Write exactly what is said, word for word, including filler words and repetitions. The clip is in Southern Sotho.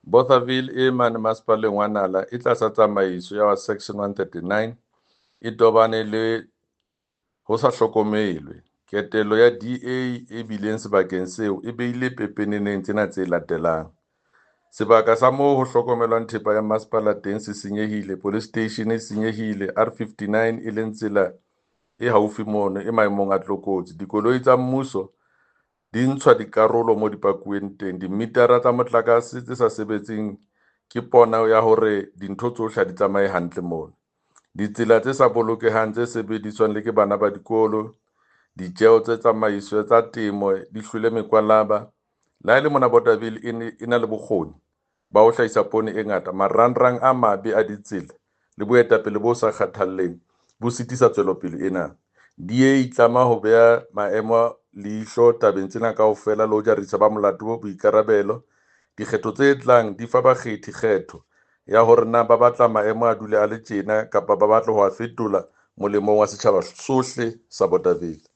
Bothaville e mane Masepaleng wa Nala e tlasa tsamaiso ya wa Section one thirty-nine e tobane le ho sa hlokomelwe. Ketelo ya D A e bileng sebakeng seo e beile pepeneneng tsena tse latelang. Sebaka sa moo ho hlokomelwang thepa ya masepala teng se senyehile, police station e senyehile, R fifty-nine e leng tsela e haufi mono e maemong a tlokotsi. Dikoloi tsa mmuso di ntshwa dikarolo mo di pakuweng teng, dimitara tsa motlakase tse sa sebetseng ke pono ya hore dintho tsohle ha di tsamaye hantle mono. Ditsela tse sa bolokehang tse sebediswang le ke bana ba dikolo, ditjeo tse tsamaiso tsa temo di hlwele mekwalaba. Le ha e le mona Bothaville e ne e na le bokgoni ba ho hlahisa poone e ngata, marangrang a mabe a ditsela le boetapele bo sa kgathalleng bo sitisa tswelopele ena. D A e itlama ho beha maemo leihlo tabeng tsena kaofela le ho jarisa ba molato boikarabelo. Dikgetho tse tlang di fa bakgethi kgetho ya hore na ba batla maemo a dule a le tjena kapa ba batla ho a fetola molemong wa setjhaba sohle sa Bothaville.